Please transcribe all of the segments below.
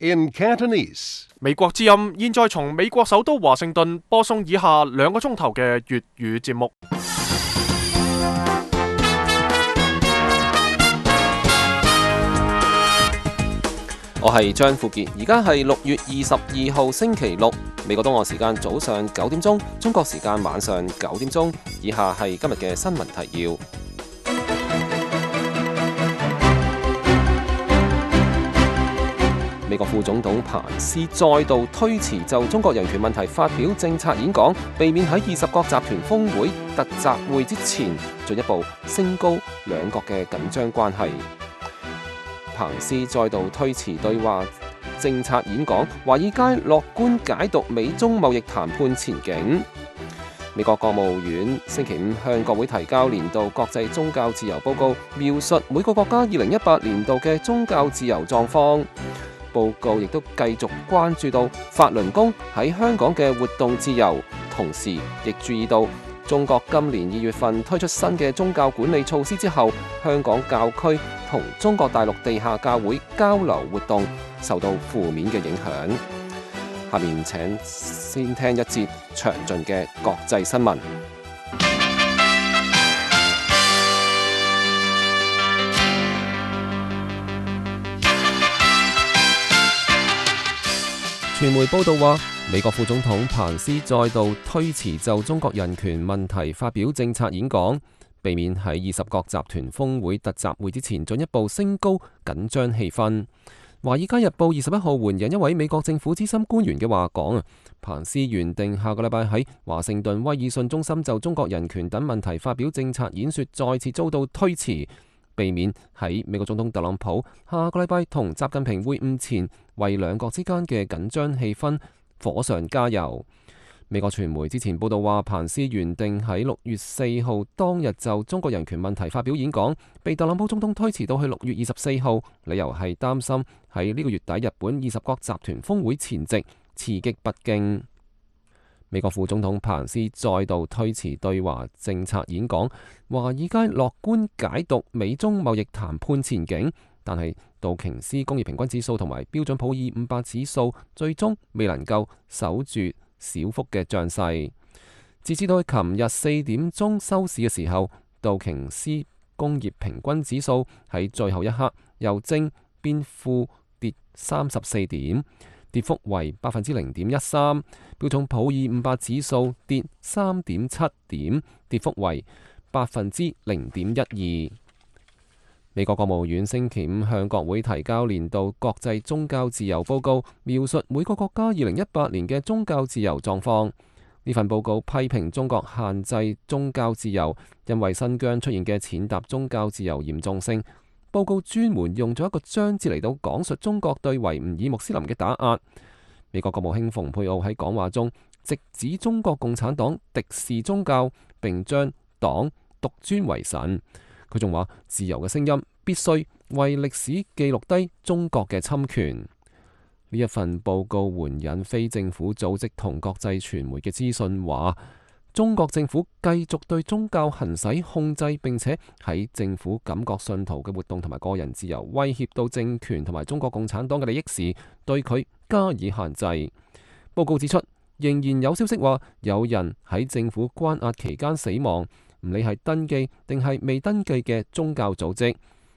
in Cantonese. 美國之音現在從美國首都華盛頓播送以下2個鐘頭嘅粵語節目。我係張富傑，而家係6月22號星期六，美國東岸時間早上9點鐘，中國時間晚上9點鐘。以下係今日嘅新聞提要。美國副總統彭斯再度推遲就中國人權問題發表政策演講，避免喺20國集團峰會特集會之前進一步升高兩國嘅緊張關係。彭斯再度推遲對華政策演講，華爾街樂觀解讀美中貿易談判前景。美國國務院星期五向國會提交年度國際宗教自由報告，描述每個國家2018年度嘅宗教自由狀況。報告亦都繼續關注到法輪功喺香港嘅活動自由，同時亦注意到中國今年2月份推出新嘅宗教管理措施之後，香港教區同中國大陸地下教會交流活動受到負面嘅影響。下面請先聽一節詳盡嘅國際新聞。傳媒報道話，美國副總統彭斯再度推遲就中國人權問題發表政策演講，避免喺20國集團峰會特集會之前進一步升高緊張氣氛。華爾街日報21號援引一位美國政府資深官員嘅話講，彭斯原定下個禮拜喺華盛頓威爾遜中心就中國人權等問題發表政策演說，再次遭到推遲，避免喺美國總統特朗普下個禮拜同習近平會晤前，為兩國之間嘅緊張氣氛火上加油。美國傳媒之前報道話，彭斯原定喺6月4號當日就中國人權問題發表演講，被特朗普總統推遲到去6月24號，理由係擔心喺呢個月底日本20國集團峰會前夕刺激北京。美國副總統彭斯再度推遲對華政策演講，華爾街樂觀解讀美中貿易談判前景，但係道瓊斯工業平均指數同埋標準普爾500指數最終未能夠守住小幅嘅漲勢。截至到琴日4點鐘收市嘅時候，道瓊斯工業平均指數喺最後一刻由正變負跌34點，跌幅為0.13%。標準普爾500指數跌3.7點，跌幅為0.12%。美國國務院星期五向國會提交年度國際宗教自由報告，描述每個國家2018年嘅宗教自由狀況。呢份報告批評中國限制宗教自由，因為新疆出現嘅踐踏宗教自由嚴重性。報告專門用咗一個章節嚟到講述中國對維吾爾穆斯林嘅打壓。美國國務卿蓬佩奧喺講話中直指中國共產黨敵視宗教，並將黨獨尊為神。佢仲話，自由嘅聲音必須為歷史記錄低中國嘅侵權。呢一份報告援引非政府組織同國際傳媒嘅資訊話，中國政府繼續對宗教行使控制，並且喺政府感覺信徒嘅活動同埋個人自由威脅到政權同埋中國共產黨嘅利益時，對佢加以限制。報告指出，仍然有消息話有人喺政府關押期間死亡，唔理係登記定係未登記嘅宗教組織，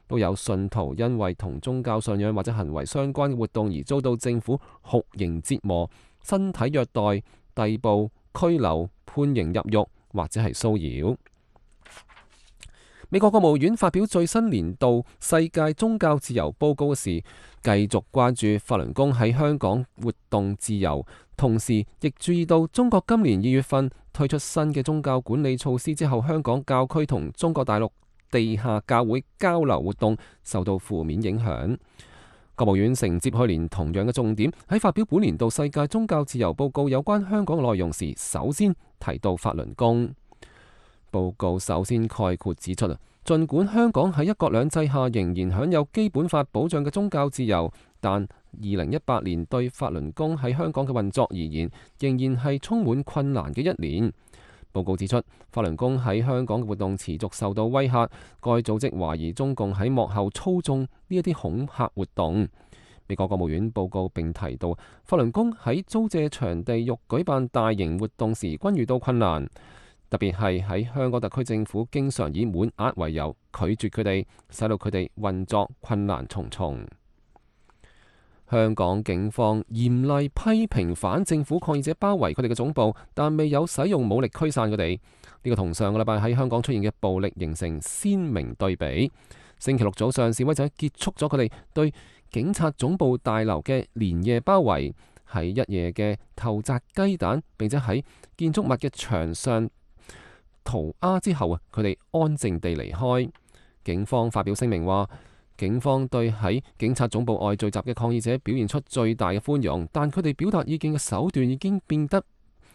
都有信徒因為同宗教信仰或者行為相關嘅活動而遭到政府酷刑折磨、身體虐待、逮捕、拘留、判刑入獄或者係騷擾。美國國務院發表最新年度世界宗教自由報告時，繼續關注法輪功喺香港活動自由，同時亦注意到中國今年2月份推出新嘅宗教管理措施之後，香港教區同中國大陸地下教會交流活動受到負面影響。國務院承接去年同樣嘅重點，喺發表本年度世界宗教自由報告有關香港嘅內容時，首先提到法輪功。報告首先概括指出，儘管香港喺一國兩制下仍然享有基本法保障嘅宗教自由，但2018年對法輪功喺香港嘅運作而言，仍然係充滿困難嘅一年。報告指出，法輪功喺香港嘅活動持續受到威嚇，該組織懷疑中共喺幕後操縱呢一啲恐嚇活動。美國國務院報告並提到，法輪功喺租借場地欲舉辦大型活動時均遇到困難，特別係喺香港特區政府經常以滿額為由拒絕佢哋，使到佢哋運作困難重重。香港警方嚴厲批評反政府抗議者包圍佢哋嘅總部，但未有使用武力驅散佢哋。呢個同上個禮拜喺香港出現嘅暴力形成鮮明對比。星期六早上，示威者結束咗佢哋對警察總部大樓嘅連夜包圍，喺一夜嘅投擲雞蛋，並且喺建築物嘅牆上塗鴉之後佢哋安靜地離開。警方發表聲明話，警方對喺警察總部外聚集嘅抗議者表現出最大嘅寬容，但佢哋表達意見嘅手段已經變得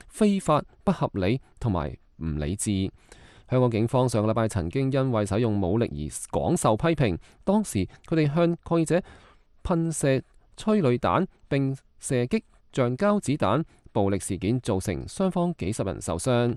非法、不合理同埋唔理智。香港警方上個禮拜曾經因為使用武力而廣受批評，當時佢哋向抗議者噴射催淚彈並射擊橡膠子彈，暴力事件造成雙方幾十人受傷。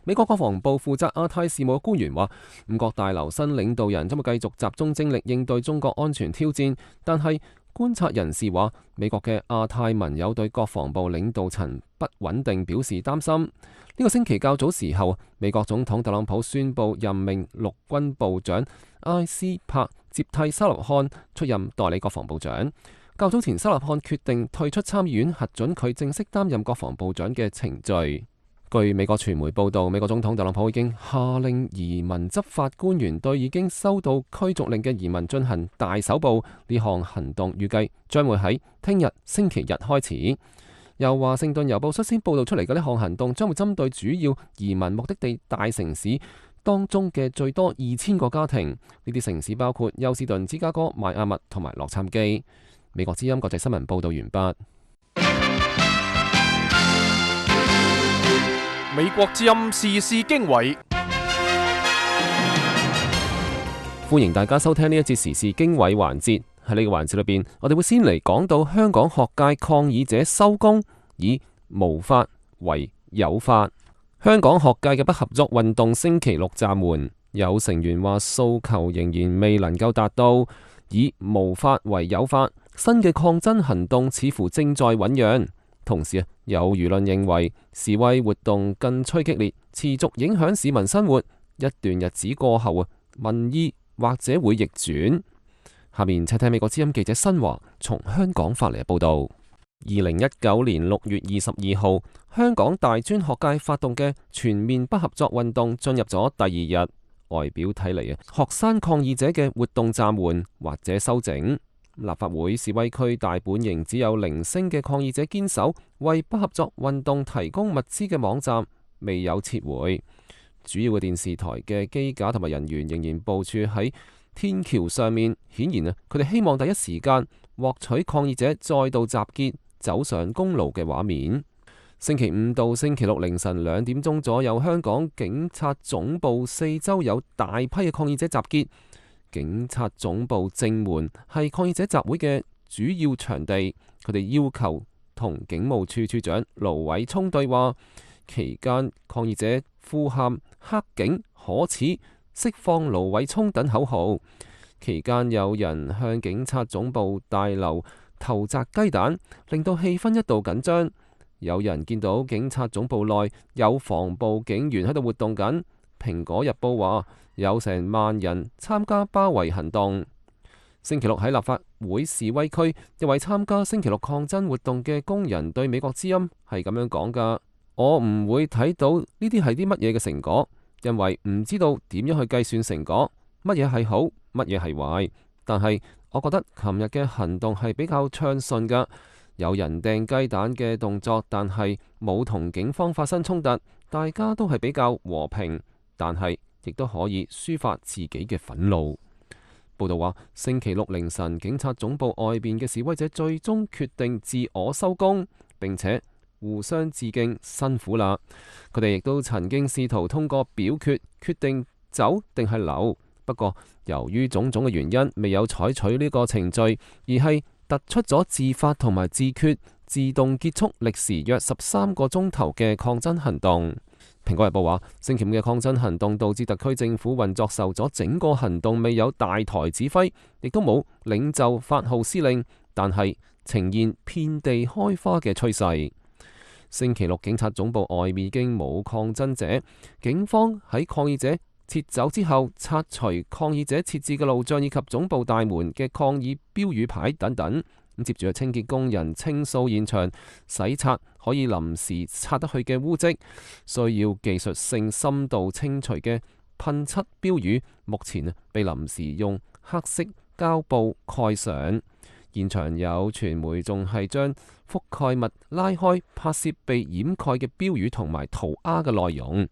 美國國防部負責亞太事務嘅官員話，五角大樓新領導人將會繼續集中精力應對中國安全挑戰，但係觀察人士話，美國嘅亞太盟友對國防部領導層不穩定表示擔心。呢個星期較早時候，美國總統特朗普宣布任命陸軍部長埃斯珀接替沙勒漢出任代理國防部長。較早前，沙勒漢決定退出參議院核准佢正式擔任國防部長嘅程序。據美國傳媒報道，美國總統特朗普已經下令移民執法官員對已經收到驅逐令嘅移民進行大搜捕。呢項行動預計將會喺聽日星期日開始。由華盛頓郵報率先報道出嚟嘅呢項行動將會針對主要移民目的地大城市當中嘅最多2000個家庭。呢啲城市包括休斯頓、芝加哥、邁阿密同埋洛杉磯。美國之音國際新聞報道完畢。美國之音時事經緯，歡迎大家收聽呢一節時事經緯環節。喺呢個環節裏邊，我哋會先嚟講到香港學界抗議者收工，以無法為有法。香港學界嘅不合作運動星期六暫緩，有成員話訴求仍然未能夠達到，以無法為有法。新嘅抗爭行動似乎正在醞釀。同時有輿論認為示威活動更趨激烈，持續影響市民生活。一段日子過後民意或者會逆轉。下面請聽美國之音記者新華從香港發嚟嘅報道。2019年6月22號，香港大專學界發動嘅全面不合作運動進入咗第二日，外表睇嚟學生抗議者嘅活動暫緩或者修整。立法會示威區大本營只有零星嘅抗議者堅守為不合作運動提供物資嘅網站未有撤回。主要嘅電視台嘅機架同埋人員仍然部署喺天橋上面，顯然佢哋希望第一時間獲取抗議者再度集結走上公路嘅畫面。星期五到星期六凌晨2點鐘左右，香港警察總部四周有大批嘅抗議者集結。警察總部正門係抗議者集會嘅主要場地，佢哋要求同警務處處長盧偉聰對話。期間，抗議者呼喊黑警可恥、釋放盧偉聰等口號。期間有人向警察總部大樓投擲雞蛋，令到氣氛一度緊張。有人見到警察總部內有防暴警員喺度活動緊。蘋果日報話有成萬人參加包圍行動。星期六喺立法會示威區，一位參加星期六抗爭活動嘅工人對美國之音係咁樣講㗎：我唔會睇到呢啲係啲乜嘢嘅成果，因為唔知道點樣去計算成果，乜嘢係好，乜嘢係壞。但係我覺得琴日嘅行動係比較暢順㗎，有人掟雞蛋嘅動作，但係冇同警方發生衝突，大家都係比較和平。但係亦都可以抒發自己嘅憤怒。報道話，星期六凌晨，警察總部外邊嘅示威者最終決定自我收工，並且互相致敬，辛苦啦。佢哋亦都曾經試圖通過表決決定走定係留，不過由於種種嘅原因，未有採取呢個程序，而係突出咗自發同埋自決，自動結束歷時約13個鐘頭嘅抗爭行動。《蘋果日報話，星期五嘅抗爭行動導致特區政府運作受阻，整個行動未有大台指揮，亦都冇領袖發號施令，但係呈現遍地開花嘅趨勢。星期六警察總部外面已經冇抗爭者，警方喺抗議者撤走之後，拆除抗議者設置嘅路障以及總部大門嘅抗議標語牌等等。接住係清潔工人清掃現場，洗刷可以臨時擦得去嘅污跡，需要技術性深度清除嘅噴漆標語，目前被臨時用黑色膠布蓋上。現場有傳媒仲係將覆蓋物拉開，拍攝被掩蓋嘅標語同埋塗鴉嘅內容。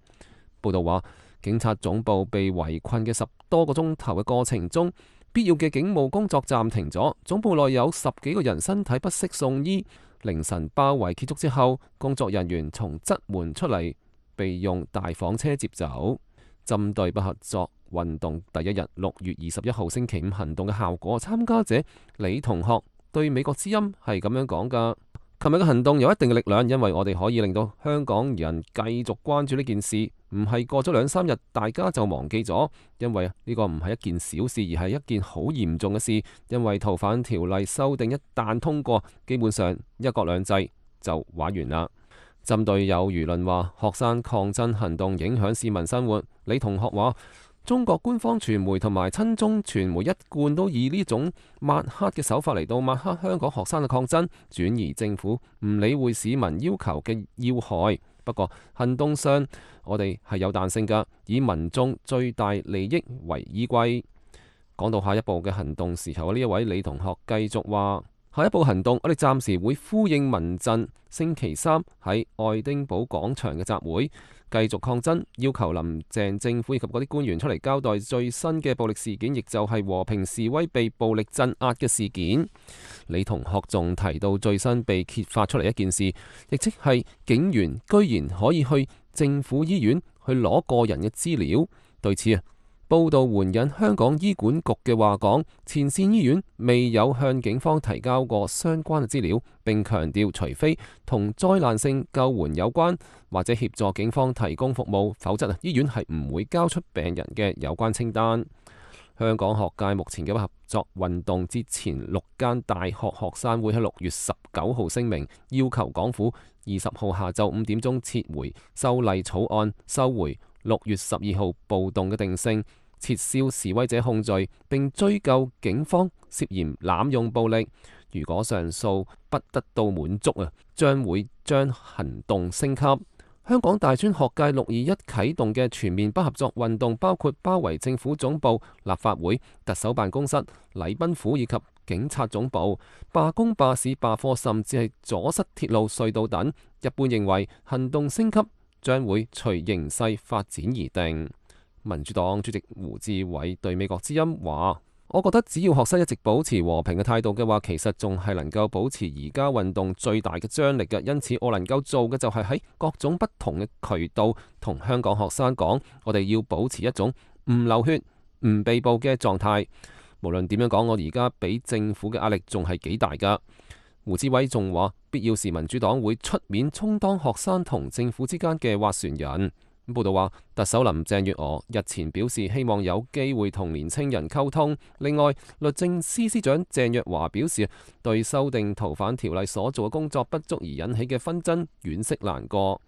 報道話，警察總部被圍困嘅10多個鐘頭嘅過程中，必要嘅警務工作暫停咗，總部內有10幾個人身體不適送醫。凌晨包圍結束之後，工作人員從側門出嚟，被用大房車接走。針對不合作運動第一日6月21號星期五行動嘅效果，參加者李同學對美國之音係咁樣講㗎。琴日嘅行動有一定嘅力量，因為我哋可以令到香港人繼續關注呢件事，唔係過咗2-3日大家就忘記咗，因為呢個唔係一件小事，而係一件好嚴重嘅事。因為逃犯條例修訂一旦通過，基本上一國兩制就玩完啦。針對有輿論話學生抗爭行動影響市民生活，李同學話，中國官方傳媒同埋親中傳媒一貫都以呢種抹黑嘅手法嚟到抹黑香港學生嘅抗爭，轉移政府唔理會市民要求嘅要害。不過行動上我哋係有彈性㗎，以民眾最大利益為依歸。講到下一步嘅行動時候，呢一位李同學繼續話，下一步行動我哋暫時會呼應民陣星期3喺愛丁堡廣場嘅集會，繼續抗爭，要求林鄭政府以及嗰啲官員出嚟交代最新嘅暴力事件，亦就係和平示威被暴力鎮壓嘅事件。李同學仲提到最新被揭發出嚟一件事，亦即係警員居然可以去政府醫院去攞個人嘅資料。對此報道援引香港醫管局嘅話講，前線醫院未有向警方提交過相關嘅資料，並強調除非同災難性救援有關或者協助警方提供服務，否則醫院係唔會交出病人嘅有關清單。香港學界目前嘅不合作運動之前6間大學學生會喺6月19號聲明，要求港府20號下晝5點鐘撤回修例草案，收回6月12號暴動嘅定性，撤銷示威者控罪，並追究警方涉嫌濫用暴力。如果上訴不得到滿足將會將行動升級。香港大專學界621啟動嘅全面不合作運動，包括包圍政府總部、立法會、特首辦公室、禮賓府以及警察總部，罷工、罷市、罷課，甚至係阻塞鐵路、隧道等。一般認為行動升級將會隨形勢發展而定。民主黨主席胡志偉對美國之音話，我覺得只要學生一直保持和平嘅態度嘅話，其實仲係能夠保持而家運動最大嘅張力嘅。因此我能夠做嘅就係喺各種不同嘅渠道同香港學生講，我哋要保持一種唔流血、唔被捕嘅狀態。無論點樣講，我而家俾政府嘅壓力仲係幾大噶。胡志偉仲話，必要時民主黨會出面充當學生同政府之間嘅斡旋人。報道話，特首林鄭月娥日前表示希望有機會同年青人溝通。另外，律政司司長鄭若驊表示，對修訂逃犯條例所做嘅工作不足而引起嘅紛爭惋惜難過。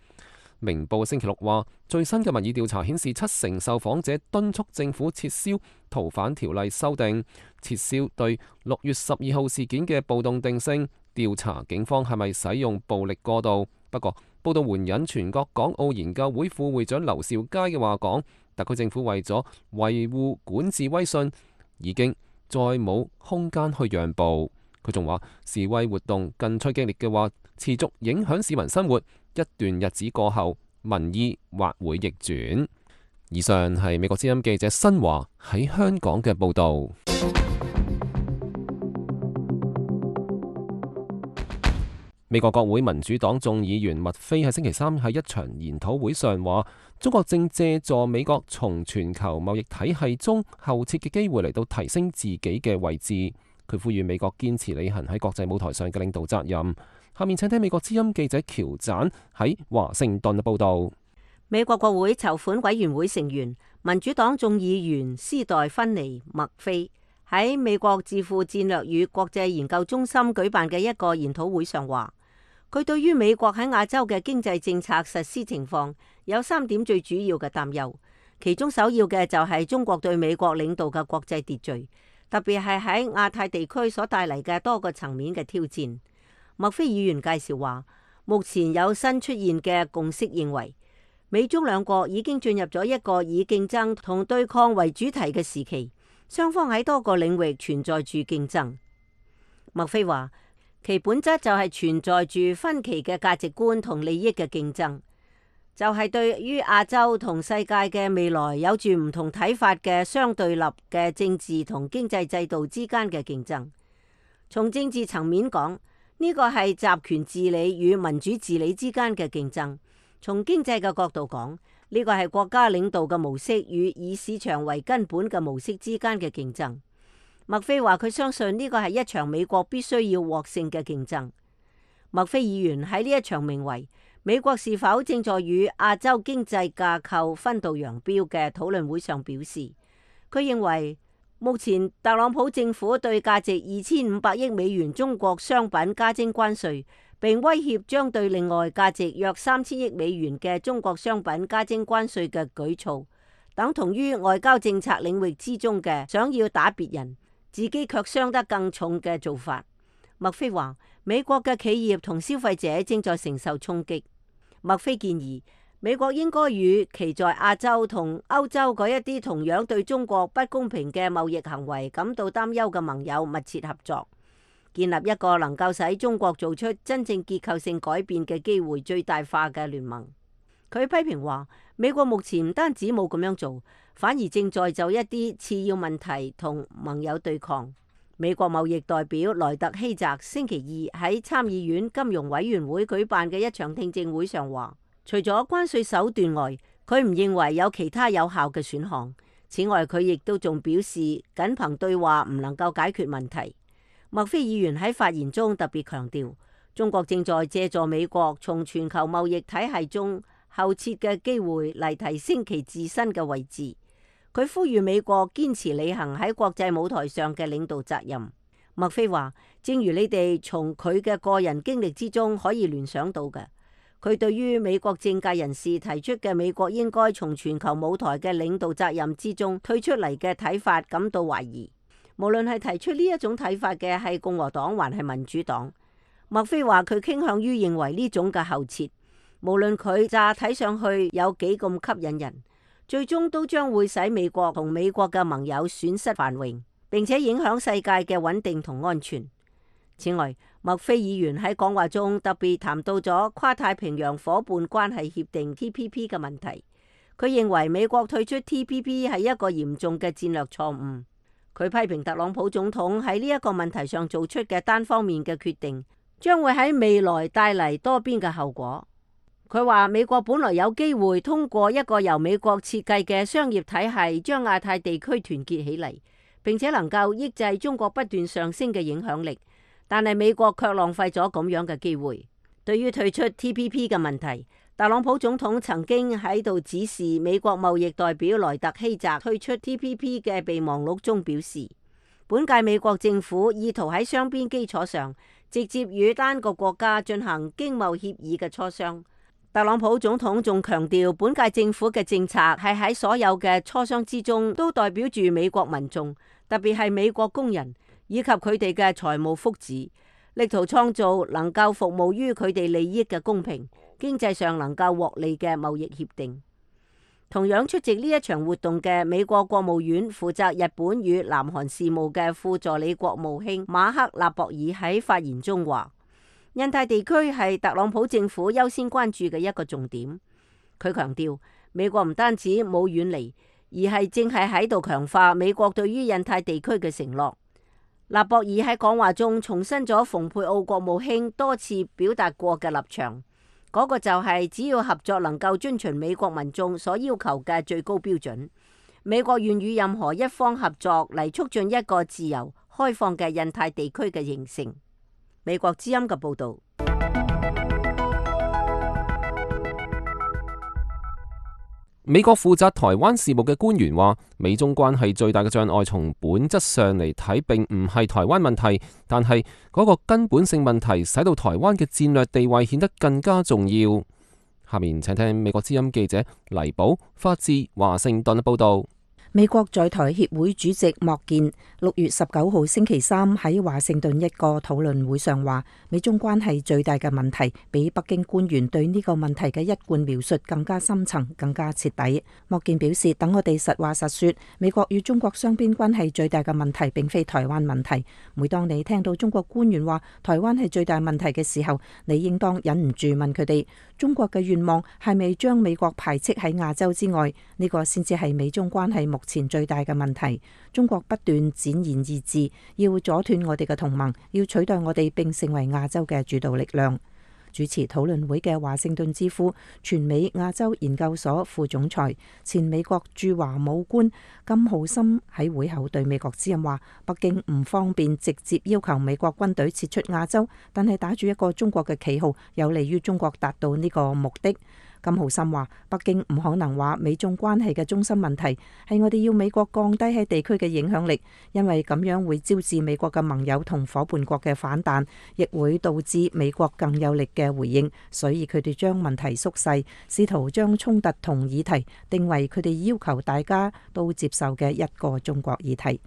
明報星期六話，最新嘅民意調查顯示，70%受訪者敦促政府撤銷逃犯條例修訂，撤銷對6月12號事件嘅暴動定性，調查警方係咪使用暴力過度。不過，報道援引全國港澳研究會副會長劉兆佳嘅話講，特區政府為咗維護管治威信，已經再冇空間去讓步。佢仲話，示威活動更趨激烈嘅話，持續影響市民生活，一段日子過後，民意或會逆轉。以上係美國之音記者新華喺香港嘅報導。美國國會民主黨眾議員麥菲喺星期3喺一場研討會上話，中國正借助美國從全球貿易體系中後撤嘅機會嚟到提升自己嘅位置。佢呼籲美國堅持履行喺國際舞台上嘅領導責任。下面請聽美國之音記者喬贊喺華盛頓嘅報導。美國國會籌款委員會成員、民主黨眾議員斯代芬尼·麥菲喺美國智庫戰略與國際研究中心舉辦嘅一個研討會上話，佢對於美國喺亞洲嘅經濟政策實施情況有3點最主要嘅擔憂，其中首要嘅就係中國對美國領導嘅國際秩序，特別係喺亞太地區所帶嚟嘅多個層面嘅挑戰。麥菲議員介紹話，目前有新出現嘅共識認為，美中兩國已經進入咗一個以競爭同對抗為主題嘅時期，雙方喺多個領域存在住競爭。麥菲話，其本質就係存在住分歧嘅價值觀同利益嘅競爭，就係對於亞洲同世界嘅未來有住唔同睇法嘅相對立嘅政治同經濟制度之間嘅競爭。從政治層面講，呢個係集權治理與民主治理之間嘅競爭。從經濟嘅角度講，呢個係國家領導嘅模式與以市場為根本嘅模式之間嘅競爭。麥菲話佢相信呢個係一場美國必須要獲勝嘅競爭。麥菲議員喺呢一場名為美國是否正在與亞洲經濟架構分道揚鑣嘅討論會上表示，佢認為目前特朗普政府對價值2500億美元中國商品加徵關稅，並威脅將對另外價值約3000億美元嘅中國商品加徵關稅嘅舉措，等同於外交政策領域之中嘅想要打別人，自己卻傷得更重嘅做法。麥菲話，美國嘅企業同消費者正在承受衝擊。麥菲建議，美國應該與其在亞洲同歐洲嗰一啲同樣對中國不公平嘅貿易行為感到擔憂嘅盟友密切合作，建立一個能夠使中國做出真正結構性改變嘅機會最大化嘅聯盟。佢批評話，美國目前唔單止冇咁樣做，反而正在就一啲次要問題同盟友對抗。美國貿易代表萊特希澤星期二喺參議院金融委員會舉辦嘅一場聽證會上話，除咗關稅手段外，佢唔認為有其他有效嘅選項。此外，佢亦都仲表示，僅憑對話唔能夠解決問題。麥菲議員喺發言中特別強調，中國正在借助美國從全球貿易體系中後撤嘅機會嚟提升其自身嘅位置。佢呼籲美國堅持履行喺國際舞台上嘅領導責任。麥菲話，正如你哋從佢嘅個人經歷之中可以聯想到嘅，佢對於美國政界人士提出嘅美國應該從全球舞台嘅領導責任之中退出嚟嘅睇法感到懷疑。無論係提出呢一種睇法嘅係共和黨還係民主黨，麥菲話佢傾向於認為呢種嘅後撤，無論佢乍睇上去有幾咁吸引人，最終都將會使美國同美國嘅盟友損失繁榮，並且影響世界嘅穩定同安全。此外，麥菲議員喺講話中特別談到咗跨太平洋夥伴關係協定 TPP 嘅問題。佢認為美國退出 TPP 係一個嚴重嘅戰略錯誤。佢批評特朗普總統喺呢一個問題上做出嘅單方面嘅決定，將會喺未來帶嚟多邊嘅後果。佢話美國本來有機會通過一個由美國設計嘅商業體系，將亞太地區團結起嚟，並且能夠抑制中國不斷上升嘅影響力。但係美國卻浪費咗咁樣嘅機會。對於退出 TPP 嘅問題，特朗普總統曾經喺度指示美國貿易代表萊特希澤退出 TPP 嘅備忘錄中表示，本屆美國政府意圖喺雙邊基礎上直接與單個國家進行經貿協議嘅磋商。特朗普總統仲強調，本屆政府嘅政策係喺所有嘅磋商之中都代表住美國民眾，特別係美國工人以及佢哋嘅財務福祉，力圖創造能夠服務於佢哋利益嘅公平、經濟上能夠獲利嘅貿易協定。同樣出席呢一場活動嘅美國國務院負責日本與南韓事務嘅副助理國務卿馬克納博爾喺發言中話，印太地區係特朗普政府優先關注嘅一個重點。佢強調，美國唔單止冇遠離，而係正係喺度強化美國對於印太地區嘅承諾。納博爾喺講話中重申咗蓬佩奧國務卿多次表達過嘅立場，嗰個就係只要合作能夠遵循美國民眾所要求嘅最高標準，美國願與任何一方合作嚟促進一個自由開放嘅印太地區嘅形成。美國之音嘅報導。美國負責台灣事務嘅官員話，美中關係最大嘅障礙從本質上嚟睇，並唔係台灣問題，但係嗰個根本性問題使到台灣嘅戰略地位顯得更加重要。下面請聽美國之音記者黎寶發自華盛頓嘅報道。美國在台協會主席莫健6月19號星期三喺華盛頓一個討論會上話，美中關係最大嘅問題比北京官員對呢個問題嘅一貫描述更加深層、更加徹底。莫健表示，等我哋實話實說，美國與中國雙邊關係最大嘅問題並非台灣問題。每當你聽到中國官員話台灣係最大問題嘅時候，你應當忍唔住問佢哋，中國嘅願望係咪將美國排斥喺亞洲之外？呢個先至係美中關係目前最大嘅問題。中國不斷展現意志，要阻斷我哋嘅同盟，要取代我哋並成為亞洲嘅主導力量。主持討論會嘅華盛頓智庫全美亞洲研究所副總裁、前美國駐華武官金浩森喺會後對美國之音話，北京唔方便直接要求美國軍隊撤出亞洲，但係打住一個中國嘅旗號，有利於中國達到呢個目的。金浩森話，北京唔可能話美中關係嘅中心問題係我哋要美國降低喺地區嘅影響力，因為咁樣會招致美國嘅盟友同夥伴國嘅反彈，亦會導致美國更有力嘅回應，所以佢哋將問題縮細，試圖將衝突同議題定為佢哋要求大家都接受嘅一個中國議題。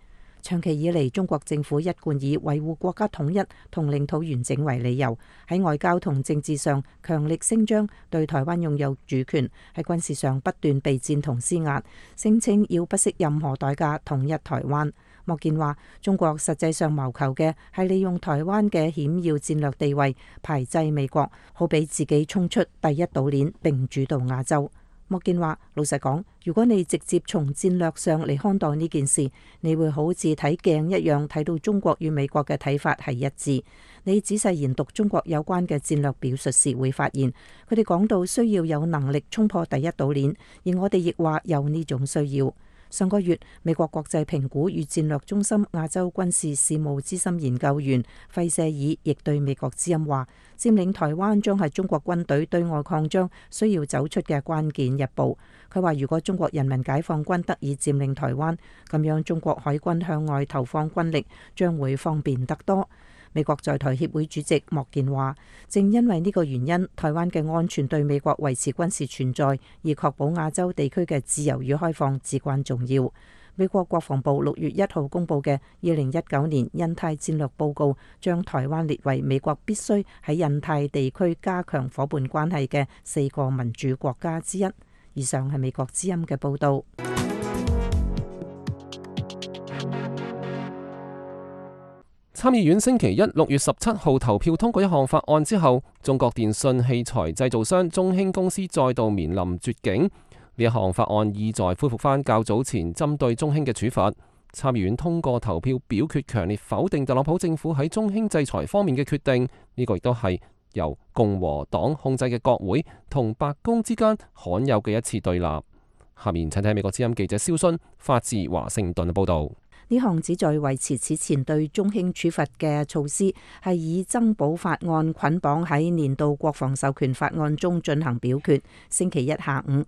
長期以嚟，中國政府一貫以維護國家統一同領土完整為理由，喺外交同政治上強力聲張對台灣擁有主權，喺軍事上不斷備戰同施壓，聲稱要不惜任何代價統一台灣。莫健話，中國實際上謀求嘅係利用台灣嘅險要戰略地位排擠美國，好俾自己衝出第一島鏈並主導亞洲。莫健話，老實講，如果你直接從戰略上嚟看待呢件事，你會好似睇鏡一樣睇到中國與美國嘅睇法係一致。你仔細研讀中國有關嘅戰略表述時，會發現佢哋講到需要有能力衝破第一島鏈，而我哋亦話有呢種需要。上個月，美國國際評估與戰略中心亞洲軍事事務資深研究員費舍爾亦對美國之音話，佔領台灣將係中國軍隊對外擴張需要走出嘅關鍵一步。佢話，如果中國人民解放軍得以佔領台灣，咁樣中國海軍向外投放軍力將會方便得多。美國在台協會主席莫健話，正因為呢個原因，台灣嘅安全對美國維持軍事存在，而確保亞洲地區嘅自由與開放至關重要。美國國防部6月1號公佈嘅2019年印太戰略報告，將台灣列為美國必須喺印太地區加強夥伴關係嘅4個民主國家之一。以上係美國之音嘅報導。參議院星期一6月17號投票通過一項法案之後，中國電信器材製造商中興公司再度面臨絕境。呢一項法案意在恢復返較早前針對中興嘅處罰。參議院通過投票表決強烈否定特朗普政府喺中興制裁方面嘅決定，呢個亦都係由共和黨控制嘅國會同白宮之間罕有嘅一次對立。下面請睇美國之音記者蕭勳發自華盛頓嘅報導。呢項旨在維持此前對中興處罰嘅措施，係以增保法案捆綁喺年度國防授權法案中進行表決。星期一下午，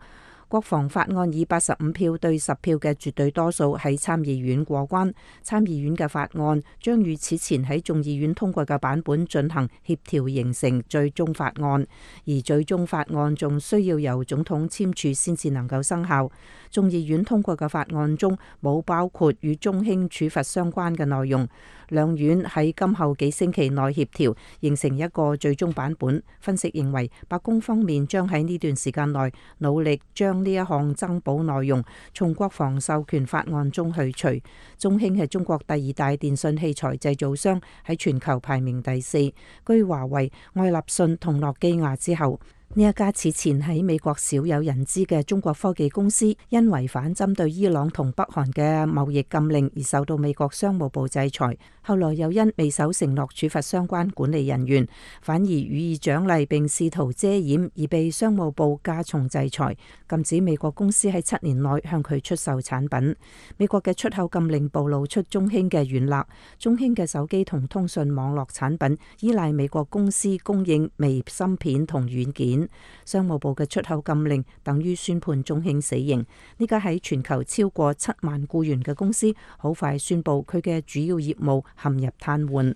國防法案以85票對10票嘅絕對多數喺參議院過關。參議院嘅法案將與此前喺眾議院通過嘅版本進行協調，形成最終法案。而最終法案仲需要由總統簽署先至能夠生效。眾議院通過嘅法案中冇包括與中興處罰相關嘅內容。兩院喺今後幾星期內協調，形成一個最終版本。分析認為，白宮方面將喺呢段時間內努力將呢一項增保內容從國防授權法案中去除。中興係中國第2大電信器材製造商，喺全球排名第4，居華為、愛立信同諾基亞之後。呢一家此前喺美國少有人知嘅中國科技公司，因違反針對伊朗同北韓嘅貿易禁令而受到美國商務部制裁，後來又因未守承諾處罰相關管理人員，反而予以獎勵並試圖遮掩，而被商務部加重制裁，禁止美國公司喺7年內向佢出售產品。美國嘅出口禁令暴露出中興嘅軟肋，中興嘅手機同通訊網絡產品依賴美國公司供應微芯片同軟件。件。商務部嘅出口禁令等於宣判中興死刑。呢家喺全球超過7萬僱員嘅公司，好快宣布佢嘅主要業務陷入癱瘓。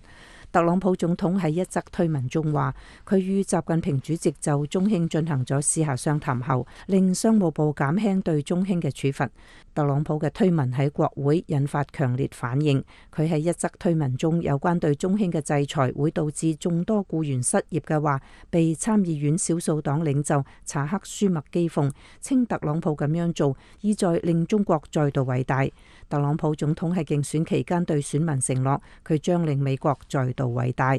特朗普總統喺一則推文中話，佢與習近平主席就中興進行咗私下商談後，令商務部減輕對中興嘅處罰。特朗普嘅推文喺國會引發強烈反應。佢喺一則推文中有關對中興嘅制裁會導致眾多僱員失業嘅話，被參議院少數黨領袖查克舒默譏諷，稱特朗普咁樣做意在令中國再度偉大。特朗普總統喺競選期間對選民承諾，佢將令美國再度偉大。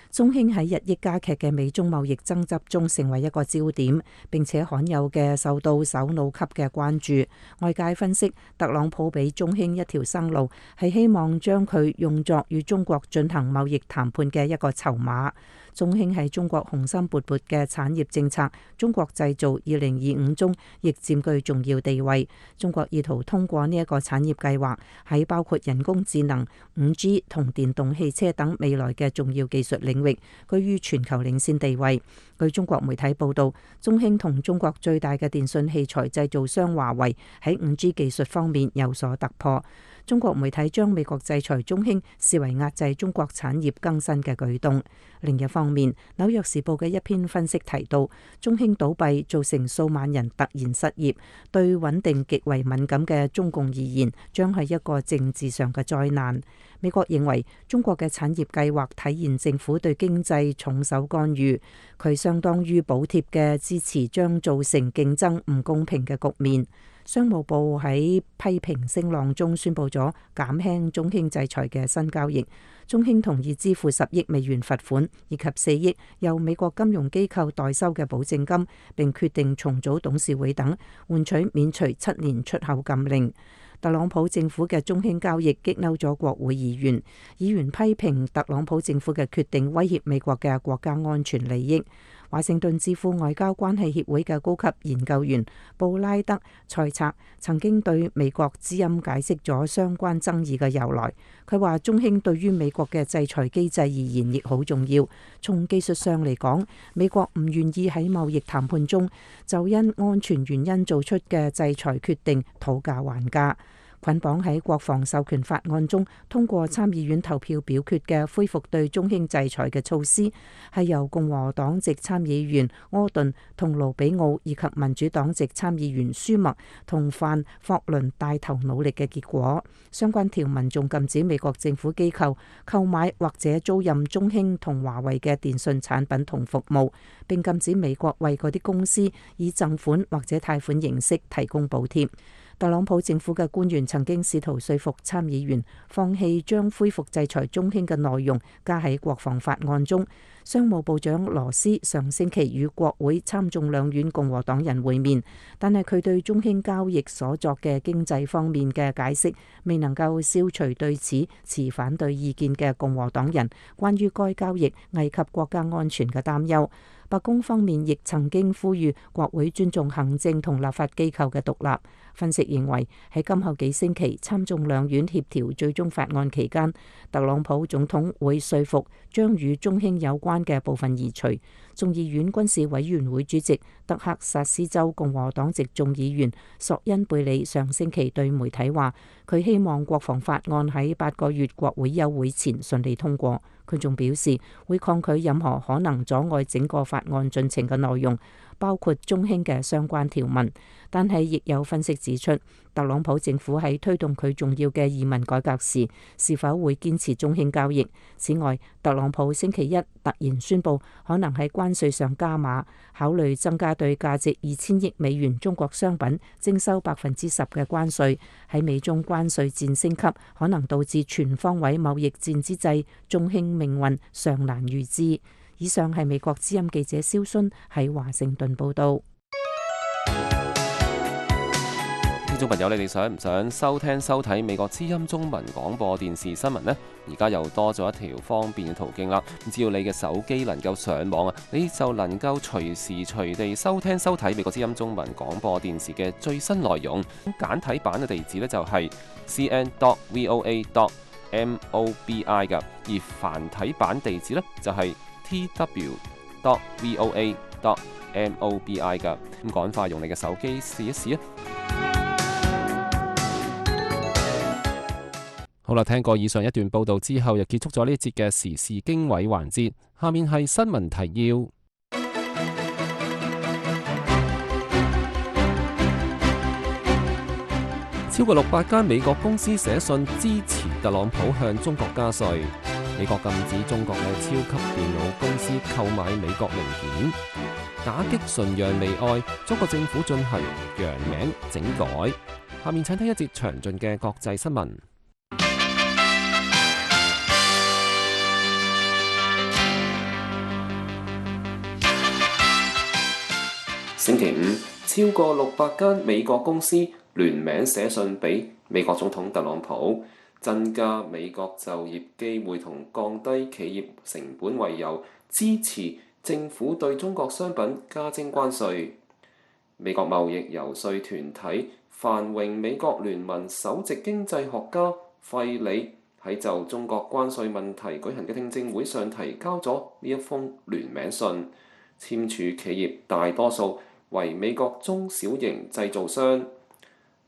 中興喺日益加劇嘅美中貿易爭執中成為一個焦點，並且罕有嘅受到首腦級嘅關注。外界分析，特朗普俾中興一條生路，係希望將佢用作與中國進行貿易談判嘅一個籌碼。中興喺中國雄心勃勃嘅產業政策中國製造2025中亦佔據重要地位。中國意圖通過呢一個產業計劃，喺包括人工智能、5G 同電動汽車等未來嘅重要技術領域居於全球領先地位。據中國媒體報道，中興同中國最大嘅電信器材製造商華為喺 5G 技術方面有所突破。中國媒體將美國制裁中興視為壓制中國產業更新嘅舉動。另一方面，紐約時報嘅一篇分析提到，中興倒閉造成數萬人突然失業，對穩定極為敏感嘅中共而言，將係一個政治上嘅災難。美國認為中國嘅產業計劃體現政府對經濟重手干預，佢相當於補貼嘅支持將造成競爭唔公平嘅局面。商務部喺批評聲浪中宣布咗減輕中興制裁嘅新交易，中興同意支付10億美元罰款，以及4億由美國金融機構代收嘅保證金，並決定重組董事會等，換取免除7年出口禁令。特朗普政府嘅中興交易激嬲咗國會議員，議員批評特朗普政府嘅決定威脅美國嘅國家安全利益。華盛頓智庫外交關係協會嘅高級研究員布拉德塞策曾經對美國之音解釋咗相關爭議嘅由來。佢話中興對於美國嘅制裁機制而言亦好重要。從技術上嚟講，美國唔願意喺貿易談判中就因安全原因做出嘅制裁決定討價還價。捆綁喺國防授權法案中通過參議院投票表決嘅恢復對中興制裁嘅措施，係由共和黨籍參議員柯頓同盧比奧以及民主黨籍參議員舒默同范霍倫帶頭努力嘅結果。相關條文仲禁止美國政府機構購買或者租賃中興同華為嘅電信產品同服務，並禁止美國為嗰啲公司以贈款或者貸款形式提供補貼。特朗普政府嘅官員曾經試圖說服參議員放棄將恢復制裁中興嘅內容加喺國防法案中。商務部長羅斯上星期與國會參眾兩院共和黨人會面，但係佢對中興交易所作嘅經濟方面嘅解釋未能夠消除對此持反對意見嘅共和黨人關於該交易危及國家安全嘅擔憂。白宮方面亦曾經呼籲國會尊重行政同立法機構嘅獨立。分析認為喺今後幾星期參眾兩院協調最終法案期間，特朗普總統會說服將與中興有關嘅部分移除。眾議院軍事委員會主席德克薩斯州共和黨籍眾議員索恩貝里上星期對媒體話，佢希望國防法案喺8個月國會休會前順利通過。佢仲表示會抗拒任何可能阻礙整個法案進程嘅內容，包括中興嘅相關條文。但係亦有分析指出，特朗普政府喺推動佢重要嘅移民改革時，是否會堅持中興交易？此外，特朗普星期一突然宣布可能喺關稅上加碼，考慮增加對價值2000億美元中國商品徵收10%嘅關稅。喺美中關稅戰升級，可能導致全方位貿易戰之際，中興命運尚難預知。以上係美國之音記者蕭薰喺華盛頓報道。聽眾朋友，你哋想唔想收聽收睇美國之音中文廣播電視新聞呢？而家又多咗一條方便嘅途徑啦！只要你嘅手機能夠上網啊，你就能夠隨時隨地收聽收睇美國之音中文廣播電視嘅最新內容。簡體版嘅地址呢，就係 cn.voa.mobi 㗎，而繁體版地址呢，就係tw.voa.mobi。MOBI 㗎。咁趕快用你嘅手機試一試啊！好啦，聽過以上一段報導之後，又結束咗呢一節嘅時事經緯環節。下面係新聞提要。超過600間美國公司寫信支持特朗普向中國加稅。美國禁止中國嘅超級電腦公司購買美國零件。打擊崇洋媚外，中國政府進行洋名整改。下面請聽一節詳盡嘅國際新聞。星期五，超過600間美國公司聯名寫信俾美國總統特朗普，增加美國就業機會同降低企業成本為由，支持政府對中國商品加徵關稅。美國貿易遊說團體繁榮美國聯盟首席經濟學家費里喺就中國關稅問題舉行嘅聽證會上提交咗呢一封聯名信，簽署企業大多數為美國中小型製造商。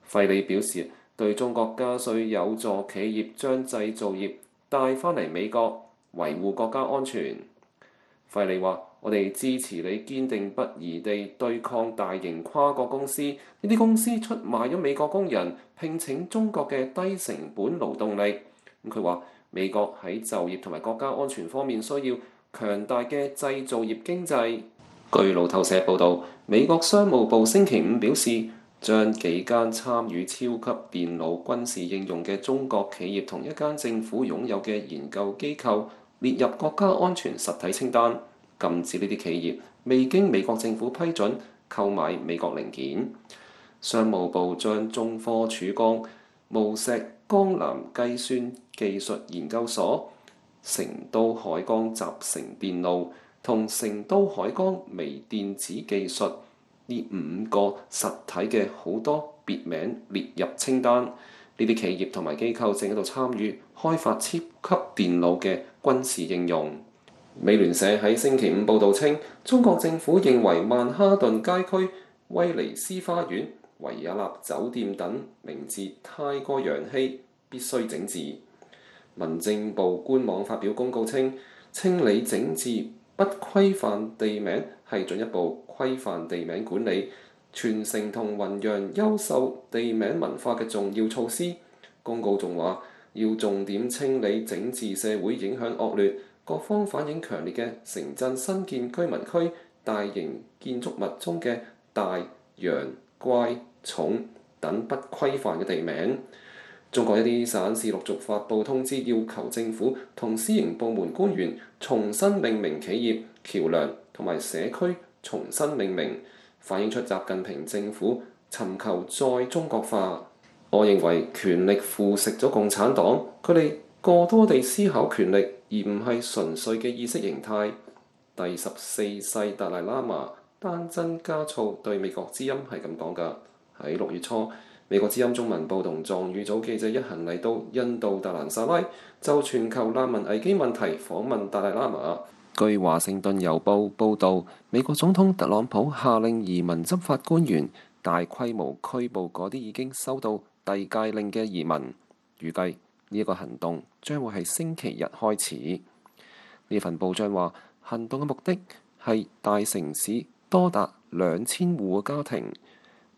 費里表示，對中國加稅有助企業將製造業帶返嚟美國，維護國家安全。費里話：我哋支持你堅定不移地對抗大型跨國公司，呢啲公司出賣咗美國工人，聘請中國嘅低成本勞動力。佢話美國喺就業同埋國家安全方面需要強大嘅製造業經濟。據路透社報導，美國商務部星期五表示，將幾間參與超級電腦軍事應用嘅中國企業同一間政府擁有嘅研究機構列入國家安全實體清單，禁止呢啲企業未經美國政府批准購買美國零件。商務部將中科曙光無錫江南計算技術研究所、成都海光集成電路同成都海光微電子技術呢5個實體嘅好多別名列入清單。呢啲企業同埋機構正喺度參與開發超級電腦嘅軍事應用。美聯社喺星期五報導稱，中國政府認為曼哈頓街區、威尼斯花園、維也納酒店等名字太過洋氣，必須整治。民政部官網發表公告稱，清理整治不規範地名係進一步規範地名管理、傳承同弘揚優秀地名文化嘅重要措施。公告仲話，要重點清理整治社會影響惡劣、各方反映強烈嘅城鎮新建居民區大型建築物中嘅大、洋、乖、重等不規範嘅地名。中國一啲省市陸續發布通知，要求政府同私營部門官員重新命名企業、橋梁同埋社區，重新命名，反映出習近平政府尋求再中國化。我認為權力腐蝕咗共產黨，佢哋過多地思考權力，而唔係純粹嘅意識形態。第14世達賴喇嘛丹增嘉措對美國之音係咁講㗎。喺6月初，美國之音中文部同藏語組記者一行嚟到印度達蘭薩拉，就全球難民危機問題訪問達賴喇嘛。據華盛頓郵報報導，美國總統特朗普下令移民執法官員大規模拘捕嗰啲已經收到遞解令嘅移民。預計呢一個行動將會係星期日開始。呢份報章話，行動嘅目的係大城市多達2000戶嘅家庭。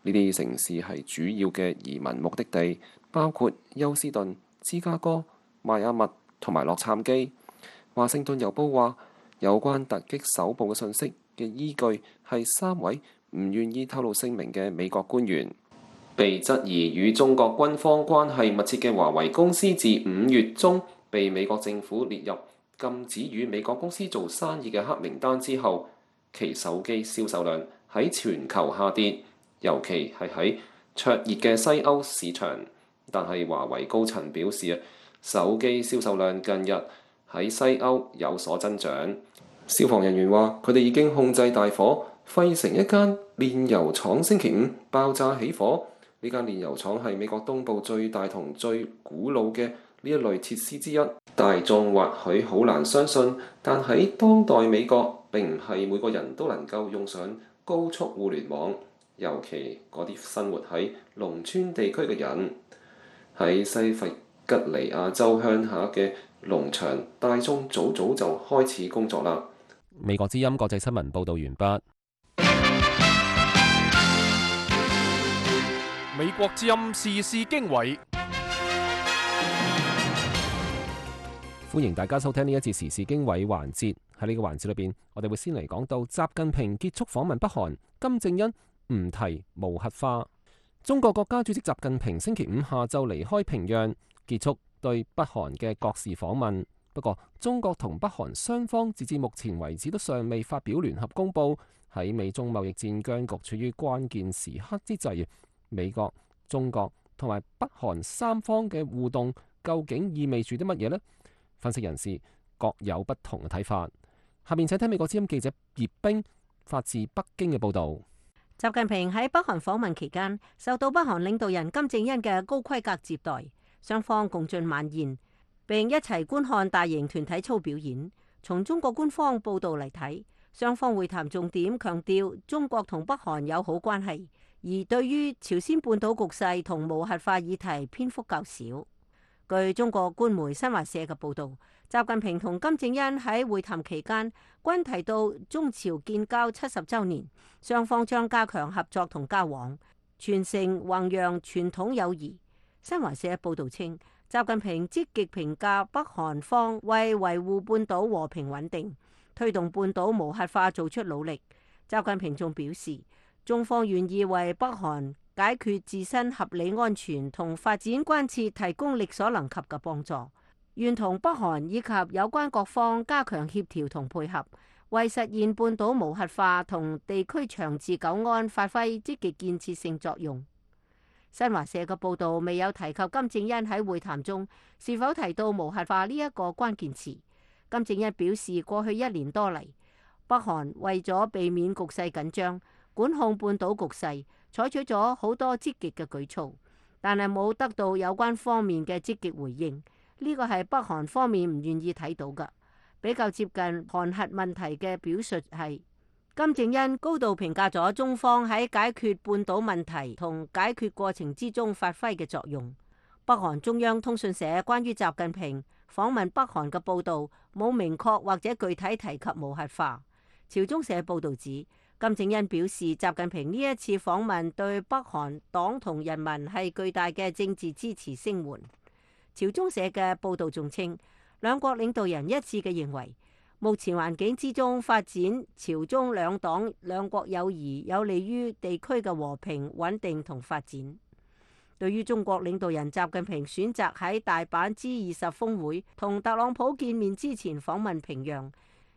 呢啲城市係主要嘅移民目的地，包括休斯頓、芝加哥、邁阿密同埋洛杉磯。華盛頓郵報話，有關突擊搜捕嘅信息嘅依據係3位唔願意透露姓名嘅美國官員。被質疑與中國軍方關係密切嘅華為公司，自5月中被美國政府列入禁止與美國公司做生意嘅黑名單之後，其手機銷售量喺全球下跌。尤其係喺灼熱嘅西歐市場，但係華為高層表示手機銷售量近日喺西歐有所增長。消防人員話，佢哋已經控制大火，費城一間煉油廠星期五爆炸起火。呢間煉油廠係美國東部最大同最古老嘅呢一類設施之一。大眾或許好難相信，但喺當代美國並唔係每個人都能夠用上高速互聯網，尤其嗰啲生活喺農村地區嘅人。喺西弗吉尼亞州鄉下嘅農場，大眾早早就開始工作啦。美國之音國際新聞報導完畢。美國之音時事經緯，歡迎大家收聽呢一節時事經緯環節。喺呢個環節裏邊，我哋會先嚟講到習近平結束訪問北韓，金正恩唔提無核化。中國國家主席習近平星期五下晝離開平壤，結束對北韓嘅國事訪問。不過，中國同北韓雙方截至目前為止都尚未發表聯合公報。喺美中貿易戰僵局處於關鍵時刻之際，美國、中國同埋北韓三方嘅互動究竟意味住啲乜嘢呢？分析人士各有不同嘅睇法。下面請聽美國之音記者葉冰發自北京嘅報導。習近平喺北韓訪問期間，受到北韓領導人金正恩嘅高規格接待，雙方共進晚宴，並一齊觀看大型團體操表演。從中國官方報導嚟睇，雙方會談重點強調中國同北韓友好關係，而對於朝鮮半島局勢同無核化議題篇幅較少。據中國官媒新華社嘅報導，習近平同金正恩喺會談期間均提到中朝建交70週年，雙方將加強合作同交往，傳承弘揚傳統友誼。新華社報導稱，習近平積極評價北韓方為維護半島和平穩定、推動半島無核化做出努力。習近平仲表示，中方願意為北韓解決自身合理安全同發展關切提供力所能及嘅幫助，願同北韓以及有關各方加強協調同配合，為實現半島無核化同地區長治久安發揮積極建設性作用。新華社嘅報導未有提及金正恩喺會談中是否提到無核化呢一個關鍵詞。金正恩表示，過去1年多嚟，北韓為咗避免局勢緊張，管控半島局勢，採取咗好多積極嘅舉措，但係冇得到有關方面嘅積極回應。呢個係北韓方面唔願意睇到嘅。比較接近韓核問題嘅表述係，金正恩高度評價咗中方喺解決半島問題同解決過程之中發揮嘅作用。北韓中央通訊社關於習近平訪問北韓嘅報導冇明確或者具體提及無核化。朝中社報導指，金正恩表示，習近平呢一次訪問對北韓黨同人民係巨大嘅政治支持聲援。朝中社嘅報導仲稱，兩國領導人一致嘅認為，目前環境之中發展朝中兩黨兩國友誼有利於地區嘅和平穩定同發展。對於中國領導人習近平選擇喺大阪 G20 峰會同特朗普見面之前訪問平壤，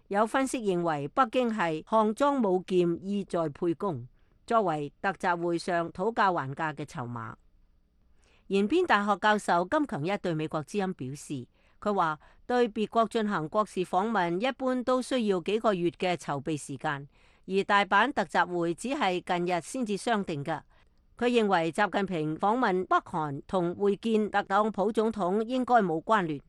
有分析認為北京係項莊舞劍，意在沛公，作為特集會上討價還價嘅籌碼。延邊大學教授金強一對美國之音表示，佢話對別國進行國事訪問一般都需要幾個月嘅籌備時間，而大阪特集會只係近日先至商定㗎。佢認為習近平訪問北韓同會見特朗普總統應該冇關聯。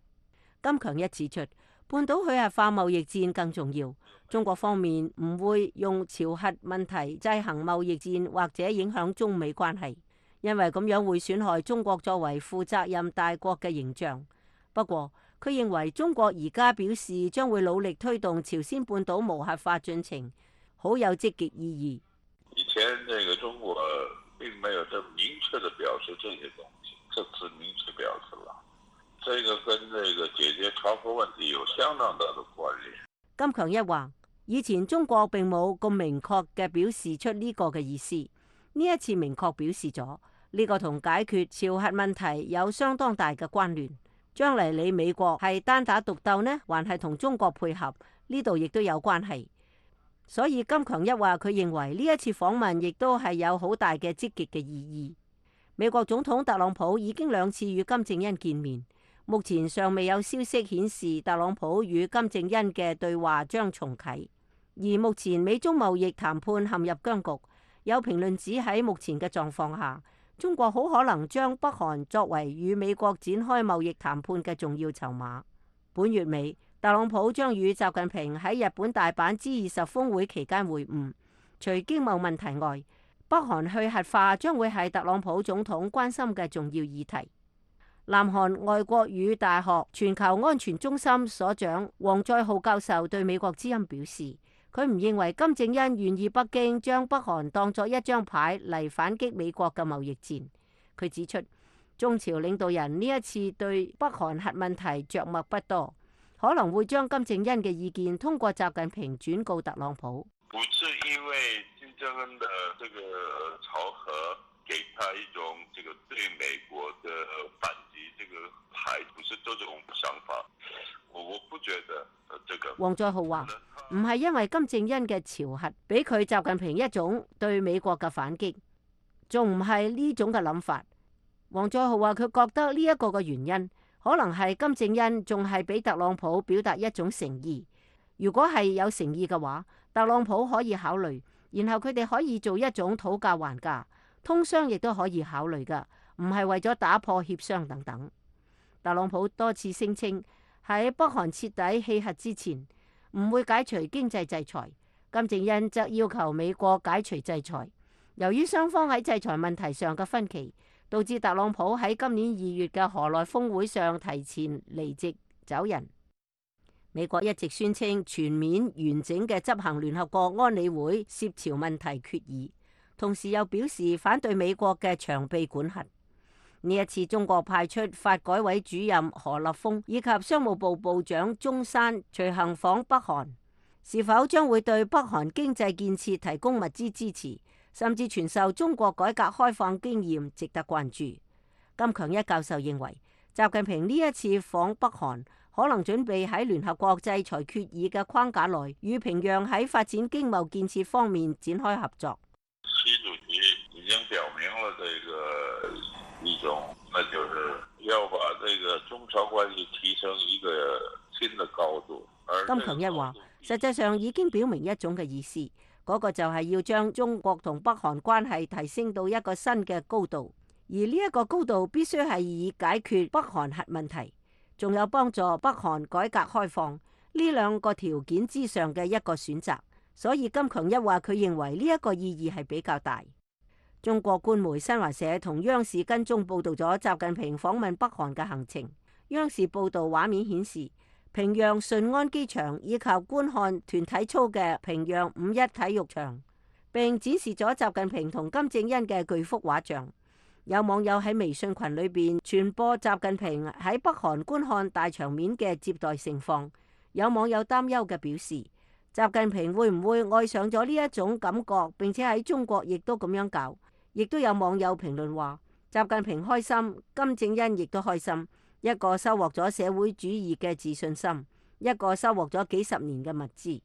金強一指出，半島去核化貿易戰更重要，中國方面唔會用朝核問題制衡貿易戰或者影響中美關係，因為咁樣會損害中國作為負責任大國嘅形象。不過，佢認為中國而家表示將會努力推動朝鮮半島無核化進程，好有積極意義。以前這個中國並沒有這麼明確地表示這些東西，這次明確表示了。這個跟這個解決朝核問題有相當大的關聯。金強一話：以前中國並冇咁明確嘅表示出呢個嘅意思，呢一次明確表示咗，呢個同解決朝核問題有相當大嘅關聯。將嚟你美國係單打獨鬥呢，還係同中國配合？呢度亦都有關係。所以金強一話，佢認為呢一次訪問亦都係有好大嘅積極嘅意義。美國總統特朗普已經2次與金正恩見面，目前尚未有消息顯示特朗普與金正恩嘅對話將重啟。而目前美中貿易談判陷入僵局，有評論指喺目前嘅狀況下，中國好可能將北韓作為與美國展開貿易談判嘅重要籌碼。本月尾，特朗普將與習近平喺日本大阪 G20 峰會期間會晤，除經貿問題外，北韓去核化將會係特朗普總統關心嘅重要議題。南韓外國語大學全球安全中心所長黃載浩教授對美國之音表示，佢唔認為金正恩願意北京將北韓當作一張牌嚟反擊美國嘅貿易戰。佢指出，中朝領導人呢一次對北韓核問題着墨不多，可能會將金正恩嘅意見通過習近平轉告特朗普。不是因為金正恩的這個朝核給他一種這個對美國的反擊這個牌，不是這種想法。我不覺得這個。黃載浩話唔係因為金正恩嘅朝核俾佢習近平一種對美國嘅反擊，仲唔係呢種嘅諗法。黃載浩話佢覺得呢一個嘅原因，可能係金正恩仲係俾特朗普表達一種誠意。如果係有誠意嘅話，特朗普可以考慮，然後佢哋可以做一種討價還價，通商亦都可以考慮噶，唔係為咗打破協商等等。特朗普多次聲稱喺北韓徹底棄核之前，唔會解除經濟制裁。金正恩則要求美國解除制裁。由於雙方喺制裁問題上嘅分歧，導致特朗普喺今年2月嘅河內峰會上提前離席走人。美國一直宣稱全面完整嘅執行聯合國安理會涉朝問題決議，同時又表示反對美國嘅長臂管轄。呢一次中國派出發改委主任何立峰以及商務部部長鍾山隨行訪北韓，是否將會對北韓經濟建設提供物資支持，甚至傳授中國改革開放經驗，值得關注。金強一教授認為，習近平呢一次訪北韓，可能準備喺聯合國制裁決議嘅框架內，與平壤喺發展經貿建設方面展開合作。習主席已經表明了這個一種，那就是要把這個中朝關係提升一個新的高度。金強一話，實際上已經表明一種嘅意思，嗰個就係要將中國同北韓關係提升到一個新嘅高度，而呢一個高度必須係以解決北韓核問題，仲有幫助北韓改革開放呢兩個條件之上嘅一個選擇。所以金強一話，佢認為呢一個意義係比較大。中國官媒新華社同央視跟蹤報道咗習近平訪問北韓嘅行程。央視報道畫面顯示，平壤順安機場以及觀看團體操嘅平壤5·1體育場，並展示咗習近平同金正恩嘅巨幅畫像。有網友喺微信群裏邊傳播習近平喺北韓觀看大場面嘅接待盛況。有網友擔憂嘅表示，習近平會唔會愛上咗呢一種感覺，並且喺中國亦都咁樣搞？亦都有網友評論話，習近平開心，金正恩亦都開心，一個收穫咗社會主義嘅自信心，一個收穫咗幾十年嘅物資。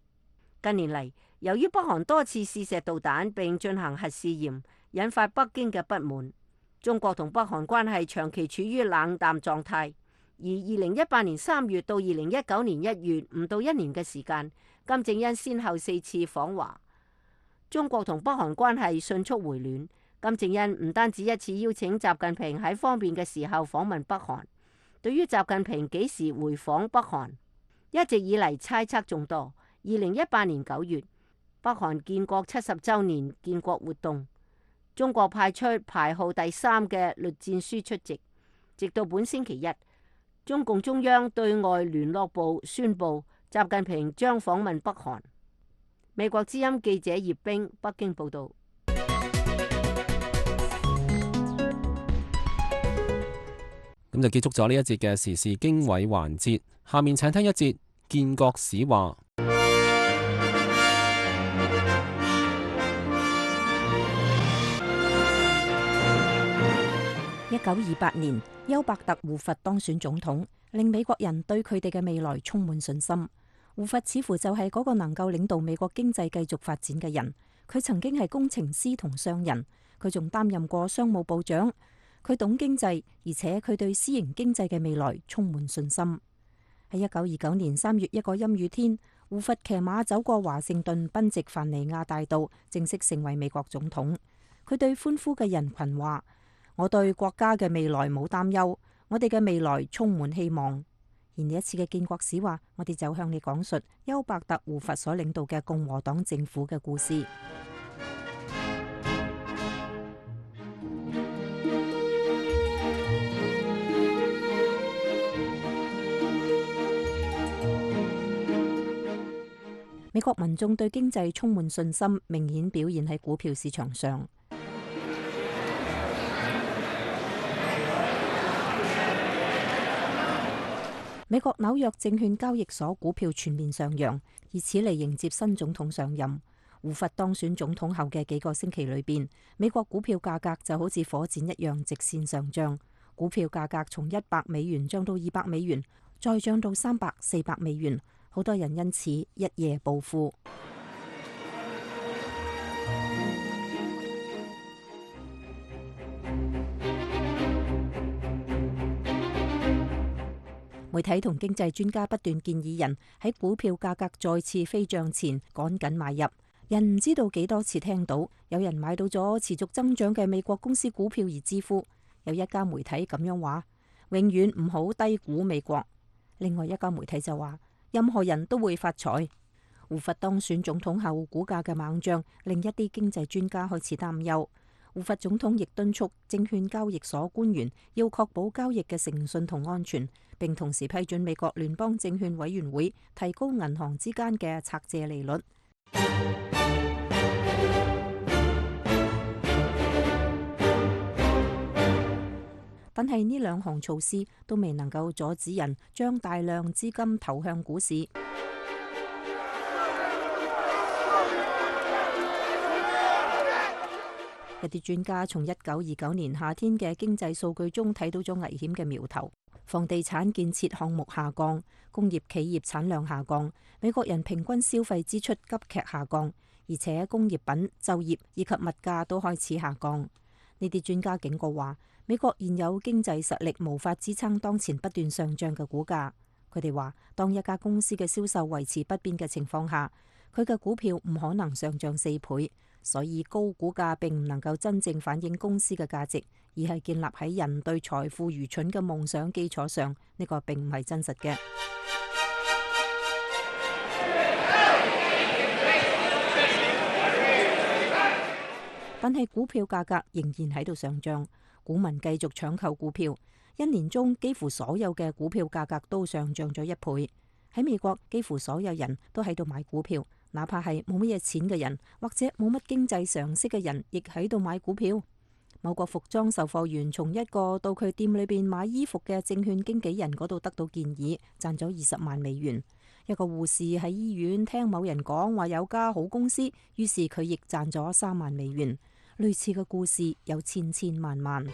近年嚟，由於北韓多次試射導彈並進行核試驗，引發北京嘅不滿。中國同北韓關係長期處於冷淡狀態。而2018年3月到2019年1月唔到1年嘅時間，金正恩先後4次訪華，中國同北韓關係迅速回暖。金正恩唔單止一次邀請習近平喺方便嘅時候訪問北韓。對於習近平幾時回訪北韓，一直以嚟猜測眾多。2018年9月，北韓建國70週年建國活動，中國派出排號第3嘅栗戰書出席。直到本星期一，中共中央對外聯絡部宣布，習近平將訪問北韓。美國之音記者葉冰北京報道。咁就結束咗呢一節嘅時事經緯環節，下面請聽一節建國史話。1928年，丘伯特胡佛當選總統，令美國人對佢哋嘅未來充滿信心。胡佛似乎就係嗰個能夠領導美國經濟繼續發展嘅人。佢曾經係工程師同商人，佢仲擔任過商務部長。佢懂經濟，而且佢對私營經濟嘅未來充滿信心。喺1929年3月一個陰雨天，胡佛騎馬走過華盛頓賓夕凡尼亞大道，正式成為美國總統。佢對歡呼嘅人群話：我對國家嘅未來冇擔憂，我哋嘅未來充滿希望。而呢一次嘅建國史話，我哋就向你講述丘伯特胡佛所領導嘅共和黨政府嘅故事。美國民眾對經濟充滿信心，明顯表現喺股票市場上。美國紐約證券交易所股票全面上揚，以此嚟迎接新總統上任。胡佛當選總統後嘅幾個星期裏邊，美國股票價格就好似火箭一樣直線上漲，股票價格從$100漲到$200，再漲到$300、$400，好多人因此一夜暴富。媒體同經濟專家不斷建議人喺股票價格再次飛漲前趕緊買入。人唔知道幾多次聽到有人買到咗持續增長嘅美國公司股票而致富。有一家媒體咁樣話：永遠唔好低估美國。另外一家媒體就話：任何人都會發財。胡佛當選總統後，股價嘅猛漲令一啲經濟專家開始擔憂。胡佛總統亦敦促證券交易所官員要確保交易嘅誠信同安全，並同時批准美國聯邦證券委員會提高銀行之間嘅拆借利率。但係呢兩項措施都未能夠阻止人將大量資金投向股市。一啲專家從1929年夏天嘅經濟數據中睇到咗危險嘅苗頭。房地產建設項目下降，工業企業產量下降，美國人平均消費支出急劇下降，而且工業品、就業以及物價都開始下降。呢啲專家警告話，美國現有經濟實力無法支撐當前不斷上漲嘅股價。佢哋話，當一家公司嘅銷售維持不變嘅情況下，佢嘅股票唔可能上漲4倍。所以高股價並唔能夠真正反映公司嘅價值，而係建立喺人對財富愚蠢嘅夢想基礎上。呢個並唔係真實嘅。但係股票價格仍然喺度上漲，股民繼續搶購股票。一年中幾乎所有嘅股票價格都上漲咗1倍。喺美國，幾乎所有人都喺度買股票。哪怕係冇乜嘢錢嘅人，或者冇乜經濟常識嘅人，亦喺度買股票。某個服裝售貨員從一個到佢店裏邊買衣服嘅證券經紀人嗰度得到建議，賺咗$20萬。一個護士喺醫院聽某人講話有家好公司，於是佢亦賺咗$3萬。類似嘅故事有千千萬萬。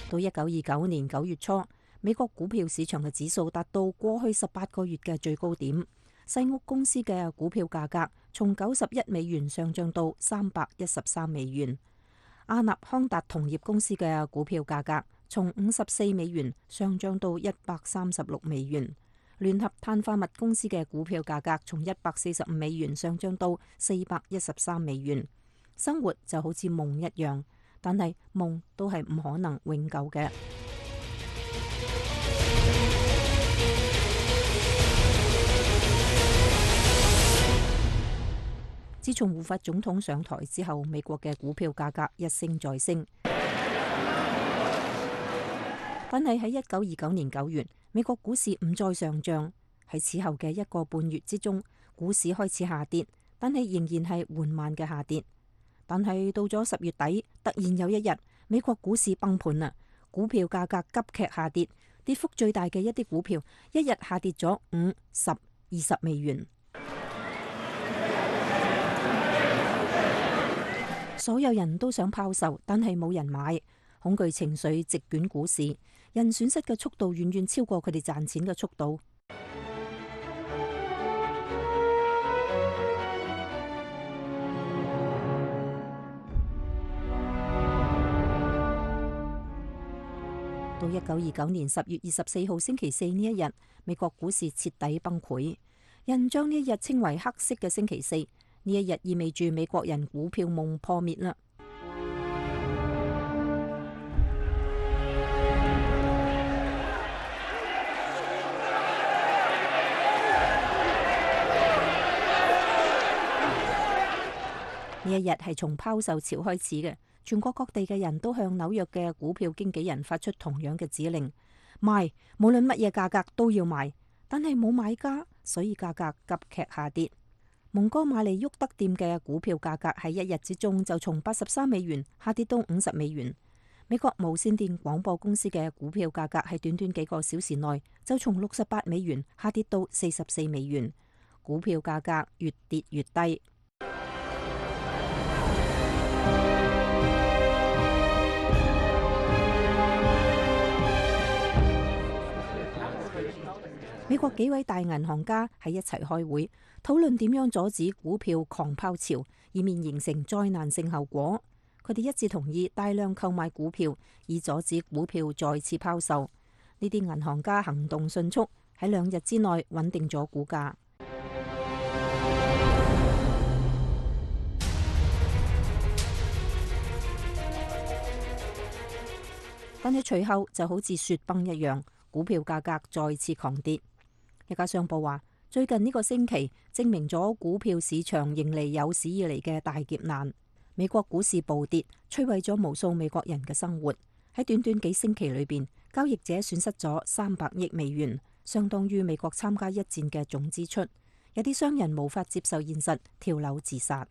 到1929年9月初，美國股票市場嘅指數達到過去18個月嘅最高點。西屋公司嘅股票價格從$91上漲到$313。阿納康達銅業公司嘅股票價格從$54上漲到$136。聯合碳化物公司嘅股票價格從$145上漲到$413。生活就好似夢一樣。但係夢都係唔可能永久嘅。自從胡佛總統上台之後，美國嘅股票價格一升再升。但係喺1929年9月，美國股市唔再上漲。喺此後嘅1個半月之中，股市開始下跌，但係仍然係緩慢嘅下跌。但係到咗10月底，突然有一日，美國股市崩盤啦，股票價格急劇下跌，跌幅最大嘅一啲股票，一日下跌咗$5、10、$20。所有人都想拋售，但係冇人買，恐懼情緒席捲股市，人損失嘅速度遠遠超過佢哋賺錢嘅速度。到1929年10月24號星期四呢一日，美國股市徹底崩潰，人將呢一日稱為黑色嘅星期四。呢一日意味住美國人股票夢破滅啦。呢一日係從拋售潮開始嘅，全國各地嘅人都向紐約嘅股票經紀人發出同樣嘅指令：賣，無論乜嘢價格都要賣。但係冇買家，所以價格急劇下跌。蒙哥馬利沃德店嘅股票價格喺一日之中就從83美元下跌到50美元。美國無線電廣播公司嘅股票價格喺短短幾個小時內就從68美元下跌到44美元。股票價格越跌越低。美國幾位大銀行家喺一齊開會，討論點樣阻止股票狂拋潮，以免形成災難性後果。佢哋一致同意大量購買股票，以阻止股票再次拋售。呢啲銀行家行動迅速，喺2日之內穩定咗股價。但係隨後就好似雪崩一樣，股票價格再次狂跌。一家商報話，最近呢個星期證明咗股票市場迎嚟有史以嚟嘅大劫難。美國股市暴跌，摧毀咗無數美國人嘅生活。喺短短幾星期裏邊，交易者損失咗300億美元，相當於美國參加一戰嘅總支出。有啲商人無法接受現實，跳樓自殺。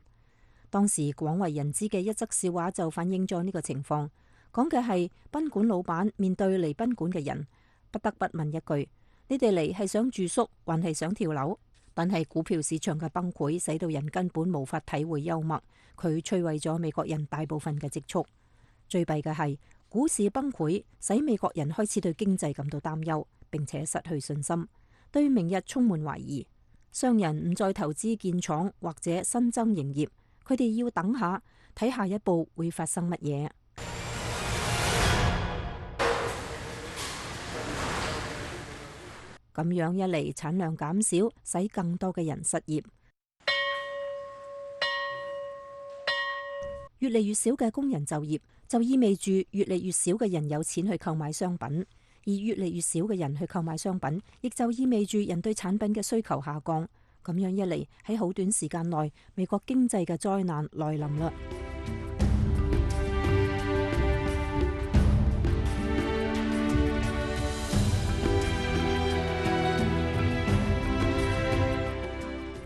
當時廣為人知嘅一則笑話就反映咗呢個情況，講嘅係賓館老闆面對嚟賓館嘅人，不得不問一句：你哋嚟係想住宿，還係想跳樓？但係股票市場嘅崩潰，使到人根本無法體會幽默，佢摧毀咗美國人大部分嘅積蓄。最弊嘅係股市崩潰，使美國人開始對經濟感到擔憂，並且失去信心，對明日充滿懷疑。商人唔再投資建廠或者新增營業，佢哋要等下睇下一步會發生乜嘢。咁樣一嚟，產量減少，使更多嘅人失業。越嚟越少嘅工人就業，就意味住越嚟越少嘅人有錢去購買商品，而越嚟越少嘅人去購買商品，亦就意味住人對產品嘅需求下降。咁樣一嚟，喺好短時間內，美國經濟嘅災難來臨啦。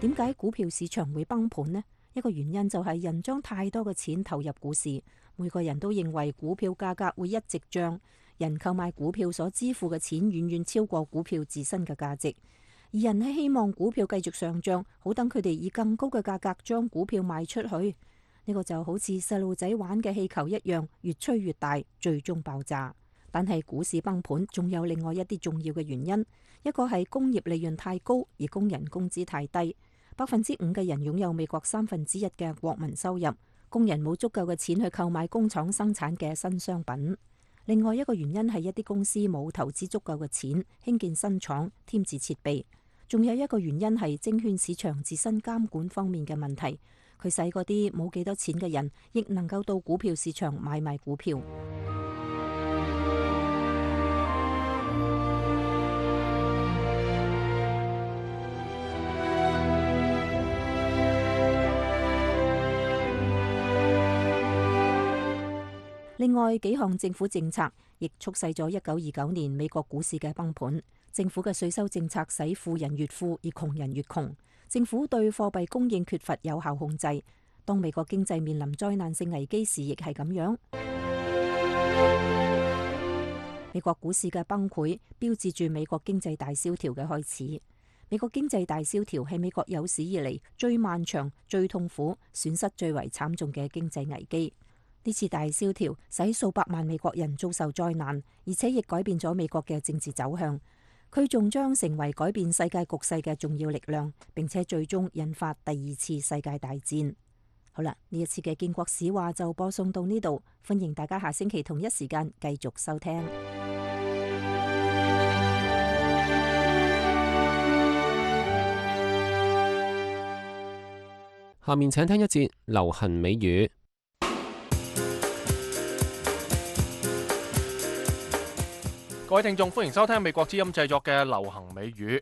點解股票市場會崩盤呢？一個原因就係人將太多嘅錢投入股市，每個人都認為股票價格會一直漲，人購買股票所支付嘅錢遠遠超過股票自身嘅價值，而人係希望股票繼續上漲，好等佢哋以更高嘅價格將股票賣出去。呢個就好似細路仔玩嘅氣球一樣，越吹越大，最終爆炸。但係股市崩盤仲有另外一啲重要嘅原因，一個係工業利潤太高，而工人工資太低。5%嘅人擁有美國1/3嘅國民收入，工人冇足夠嘅錢去購買工廠生產嘅新商品。另外一個原因係一啲公司冇投資足夠嘅錢興建新廠、添置設備。仲有一個原因係證券市場自身監管方面嘅問題，佢使嗰啲冇幾多錢嘅人亦能夠到股票市場買賣股票。另外幾項政府政策亦促使咗1929年美國股市嘅崩盤。政府嘅稅收政策使富人越富，而窮人越窮。政府對貨幣供應缺乏有效控制。當美國經濟面臨災難性危機時，亦係咁樣。美國股市嘅崩潰，標誌住美國經濟大蕭條嘅開始。美國經濟大蕭條係美國有史以嚟最漫長、最痛苦、損失最為慘重嘅經濟危機。呢次大蕭條使數百萬美國人遭受災難，而且亦改變咗美國嘅政治走向。佢仲將成為改變世界局勢嘅重要力量，並且最終引發第2次世界大戰。好啦，呢一次嘅建國史話就播送到呢度，歡迎大家下星期同一時間繼續收聽。下面請聽一節流行美語。各位聽眾，歡迎收聽美國之音製作嘅流行美語。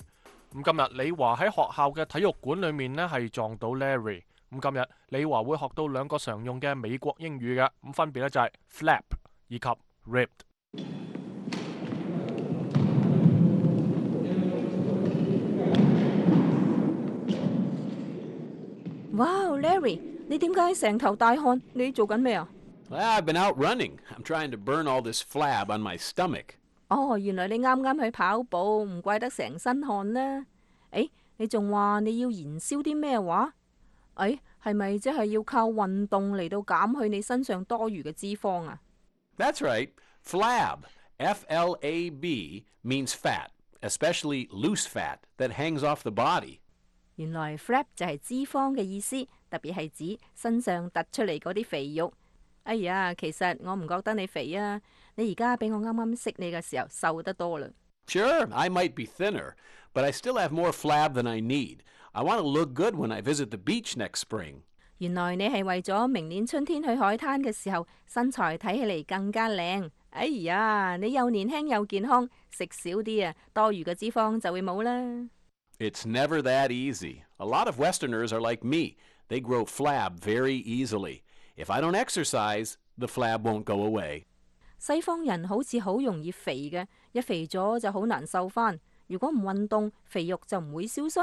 咁今日李華喺學校嘅體育館裏面呢係撞到 Larry，咁今日李華會學到兩個常用嘅美國英語嘅，咁分別咧就係 flap 以及 ripped。哇 ，Larry， 你點解成頭大汗？你做緊咩啊？ I've been out running. I'm trying to burn all this flab on my stomach. 哦，原來你啱啱去跑步，唔怪得成身汗啦。誒，你仲話你要燃燒啲咩話？誒，係咪即係要靠運動嚟到減去你身上多餘嘅脂肪啊？ That's right. Flab, F-L-A-B, means fat, especially loose fat that hangs off the body. 原來 flab 就係脂肪嘅意思，特別係指身上突出嚟嗰啲肥肉。哎呀，其實我唔覺得你肥啊，你而家比我啱啱識你嘅時候瘦得多啦。Sure, I might be thinner, but I still have more flab than I need. I want to look good when I visit the beach next spring. 原來你係為咗明年春天去海灘嘅時候，身材睇起嚟更加靚。哎呀，你又年輕又健康，食少啲啊，多餘嘅脂肪就會冇啦。It's never that easy. A lot of Westerners are like me. They grow flab very easily. If I don't exercise, the flab won't go away. 西方人好似好容易肥嘅，一肥咗就好難瘦翻。如果唔運動，肥肉就唔會消失。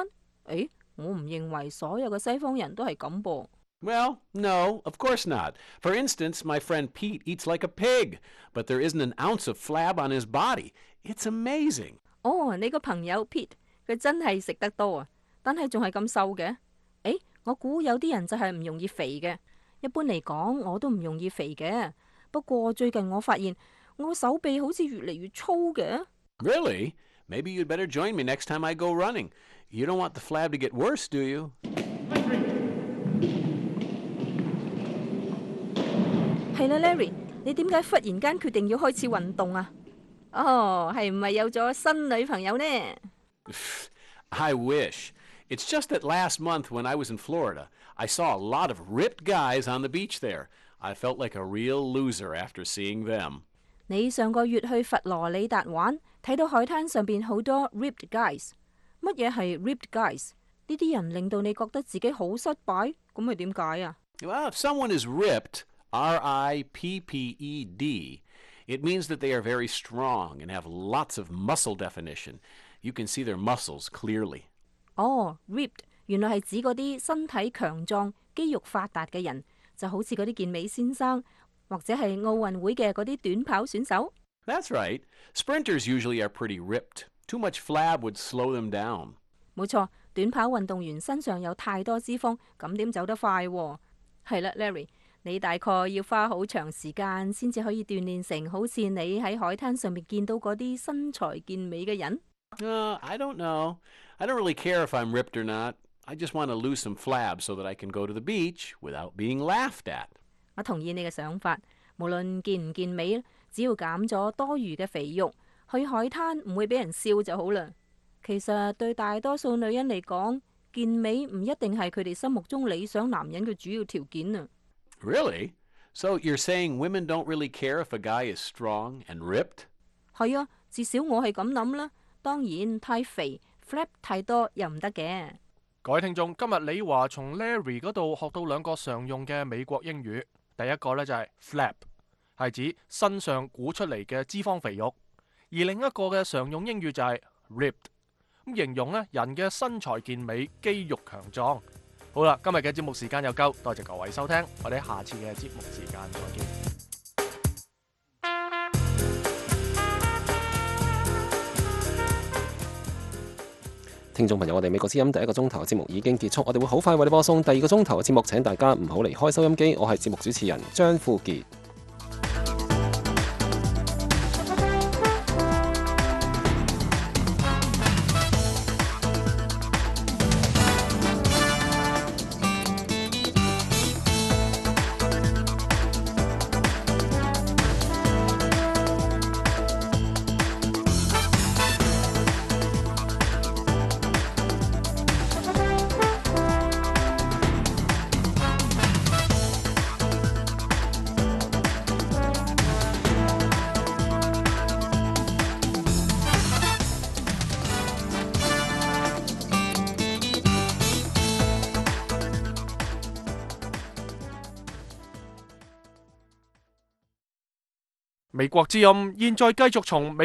誒，我唔認為所有嘅西方人都係咁噃。Well, no, of course not. For instance, my friend Pete eats like a pig, but there isn't an ounce of flab on his body. It's amazing. 哦，你個朋友 Pete，佢真係食得多啊，但係仲係咁瘦嘅。誒，我估有啲人就係唔容易肥嘅。一般嚟講，我都唔容易肥嘅。不過最近我發現我手臂好似越嚟越粗嘅。Really? Maybe you'd better join me next time I go running. You don't want the flab to get worse, do you? 係啦，Larry，你點解忽然間決定要開始運動啊？哦，係唔係有咗新女朋友呢？ I wish. It's just that last month when I was in Florida, I saw a lot of ripped guys on the beach there. I felt like a real loser after seeing them. 你上個月去佛羅里達玩，睇到海灘上邊好多 ripped guys。乜嘢係 ripped guys？呢啲人令到你覺得自己好失敗，咁係點解啊？ Well, if someone is ripped, R-I-P-P-E-D, it means that they are very strong and have lots of muscle definition. You can see their muscles clearly. 哦 ，ripped 原來係指嗰啲身體強壯、肌肉發達嘅人，就好似嗰啲健美先生，或者係奧運會嘅嗰啲短跑選手。That's right. Sprinters usually are pretty ripped. Too much flab would slow them down. 冇錯，短跑運動員身上有太多脂肪，咁點走得快喎？係啦，Larry，你大概要花好長時間先至可以鍛鍊成好似你喺海灘上面見到嗰啲身材健美嘅人。I don't know. I don't really care if I'm ripped or not. I just want to lose some flab so that I can go to the beach without being laughed at. 我同意你嘅想法，無論健唔健美，只要減咗多餘嘅肥肉，去海灘唔會俾人笑就好啦。其實對大多數女人嚟講，健美唔一定係佢哋心目中理想男人嘅主要條件啊。Really? So you're saying women don't really care if a guy is strong and ripped? 係啊，至少我係咁諗啦。當然太肥 flap 太多又唔得嘅。各位聽眾，今日李華從 Larry 嗰度學到兩個常用嘅美國英語。第一個呢就係 flap， 係指身上鼓出嚟嘅脂肪肥肉；而另一個嘅常用英語就係 ripped， 咁形容呢人嘅身材健美、肌肉強壯。好啦，今日嘅節目時間又夠，多謝各位收聽，我哋下次嘅節目時間再見。聽眾朋友，我哋美國之音第一個鐘頭嘅節目已經結束，我哋會好快為你播送第二個鐘頭嘅節目，請大家唔好離開收音機。我係節目主持人張富傑。美國之音現在繼續從美